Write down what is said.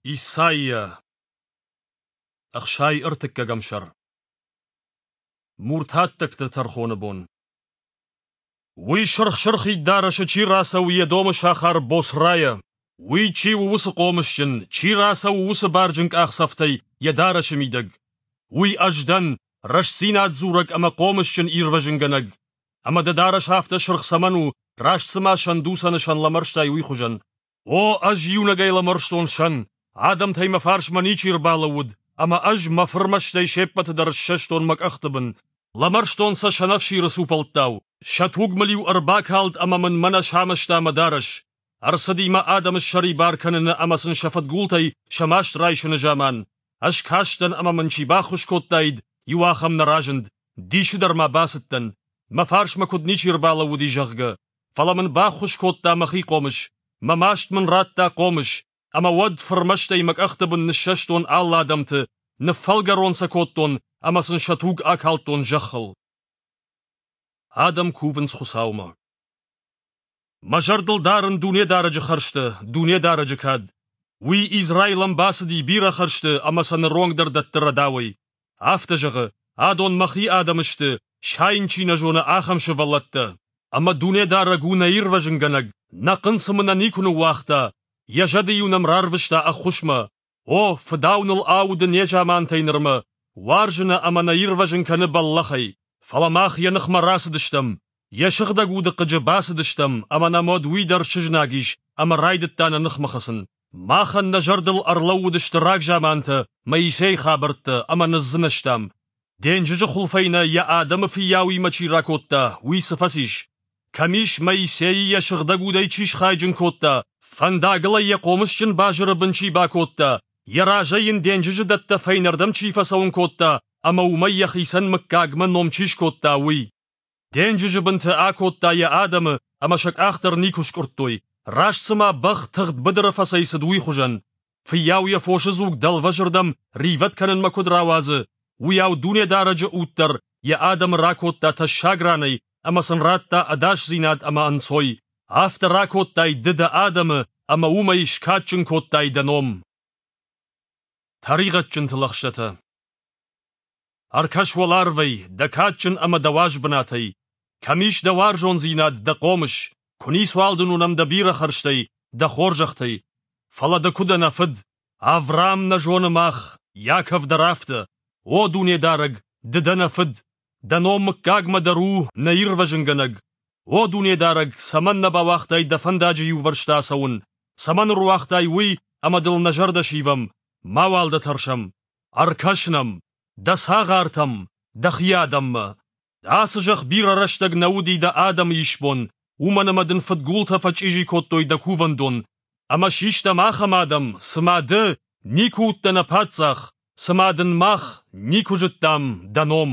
Исайя, 63-ӕм сӕр. Муртаттӕгты тӕрхоны бон. Уый сырх-сырхид дарӕсы чи рацӕуы Едомы сахар Босрайӕ, уый чи у уыцы хъомысджын, чи рацӕуы уыцы барджын къахдзӕфтӕй йӕ дарӕсы мидӕг? Уый ӕз дӕн, рӕстдзинад дзурӕг ӕмӕ хъомысджын ирвӕзынгӕнӕг. Ӕмӕ дӕ дарӕс афтӕ сырх цӕмӕн у, раст цыма сӕндуцӕны сӕн лӕмӕрстай уый хуызӕн? О, ӕз иунӕгӕй лӕмӕрстон сӕн, адӕмтӕй мӕ фарсмӕ ничи ӕрбалӕууыд, ӕмӕ ӕз мӕ фырмӕстӕй се ппӕты дӕр ссӕстон мӕ къӕхты бын. Лӕмӕрстон сӕ сӕнӕфсиры цупӕлттау, сӕ туг мыл-иу ӕрбакалд ӕмӕ мын мӕнӕ самӕста мӕ дарӕс. Ӕрцыди мӕ адӕмы ссӕрибар кӕныны ӕмӕ сын сӕ фыдгултӕй сӕ маст райсыны заман. Ӕз кастӕн ӕмӕ мын чи баххуыс кодтаид, иу ахӕм нӕ разынд. Дисы дӕр ма бацыдтӕн, мӕ фарсмӕ куыд ничи ӕрбалӕууыди, зӕгъгӕ. Фӕлӕ мын баххуыс кодта мӕхи хъомыс, мӕ маст мын радта хъомыс, ӕмӕ уӕд фырмӕстӕй мӕ къӕхты бын ныссӕстон алы адӕмты, ныффӕлгӕрон сӕ кодтон ӕмӕ сын сӕ туг акалдтон зӕххыл. Адӕм кувынц Хуыцаумӕ. Мӕ зӕрдыл дарын Дунедарӕджы хӕрзтӕ, Дунедарӕджы кад. Уый Израилӕн бацыди бирӕ хӕрзты ӕмӕ сӕ ныронг дӕр дӕтты рӕдауӕй. Афтӕ зӕгъы, адон мӕхи адӕм сты, сайын чи нӕ зоны, ахӕм сывӕллӕттӕ. Ӕмӕ Дунедарӕг у нӕ ирвӕзынгӕнӕг, нӕ хъынцъымы нӕ никуы ныууагъта, йӕ зӕды-иу нӕм рарвыста ӕххуысмӕ. О, фыдау ныл ауды незамантӕй нырмӕ, уарзы нӕ ӕмӕ нӕ ирвӕзын кӕны бӕллӕхӕй. Фӕлӕ мах йӕ ныхмӕ рацыдыстӕм, йӕ сыгъдӕг уды хъыджы бацыдыстӕм ӕмӕ нӕм уӕд уый дӕр сызнаг ис ӕмӕ райдыдта нӕ ныхмӕ хӕцын. Махӕн нӕ зӕрдыл ӕрлӕууыдысты рагзамантӕ, Моисейы хабӕрттӕ ӕмӕ ныдздзынӕзтам. Денджызы хуылфӕй нӕ йӕ адӕмы фыййауимӕ чи ракодта, уый цы фӕцис? Кӕм ис, Моисейы йӕ сыгъдӕг удӕй чи схайджын кодта, фӕндагыл ӕй йӕ хъомысджын базыры бын чи бакодта, йӕ разӕй йын денджызы дӕттӕ фӕйнӕрдӕм чи фӕцӕуын кодта ӕмӕ уымӕй йӕхицӕн мыггагмӕ ном чи скодта, уый? Денджызы бынты акодта йӕ адӕмы ӕмӕ сӕ къах дӕр никуы скъуырдтой, раст цыма бӕх тыгъд быдыры фӕцӕйцыд, уый хуызӕн. Фыййау йӕ фосы дзуг дӕлвӕзырдӕм ривӕд кӕнынмӕ куыд рауадзы, уыйау Дунедарӕджы уд дӕр йӕ адӕмы ракодта тӕссаг ранӕй ӕмӕ сын радта ӕдасдзинад ӕмӕ ӕнцой. Афтӕ ракодтай ды дӕ адӕмы ӕмӕ уымӕй скадджын кодтай дӕ ном. Тӕригъӕдджынты лӕгъстӕтӕ. Ӕркӕс уӕларвӕй, дӕ кадджын ӕмӕ дӕ уаз бынатӕй. Кӕм ис дӕ уарзондзинад, дӕ хъомыс, куы ницуал дын уынӕм дӕ бирӕ хӕрзтӕй, дӕ хорзӕхтӕй. Фӕлӕ ды куы дӕ нӕ фыд, Авраам нӕ зоны мах, Яков дӕр афтӕ. О Дунедарӕг, ды дӕ нӕ фыд, дӕ ном мыггагмӕ дӕр у нӕ ирвӕзынгӕнӕг. О Дунедарӕг, цӕмӕн нӕ бауагътай дӕ фӕндаджы иувӕрсты ацӕуын? Цӕмӕн ӕруагътай уый, ӕмӕ дыл нӕ зӕрдӕ сивӕм, мауал дӕ тӕрсӕм? Ӕркӕс нӕм, дӕ цагъартӕм, дӕхи адӕммӕ. Ацы зӕхх бирӕ рӕстӕг нӕ уыди дӕ адӕмы исбон, уымӕн ӕмӕ дын фыдгултӕ фӕчъизи кодтой дӕ кувӕндон. Ӕмӕ систӕм ахӕм адӕм, цыма ды никуы уыдтӕ нӕ паддзах, цыма дын мах никуы зыдтам дӕ ном.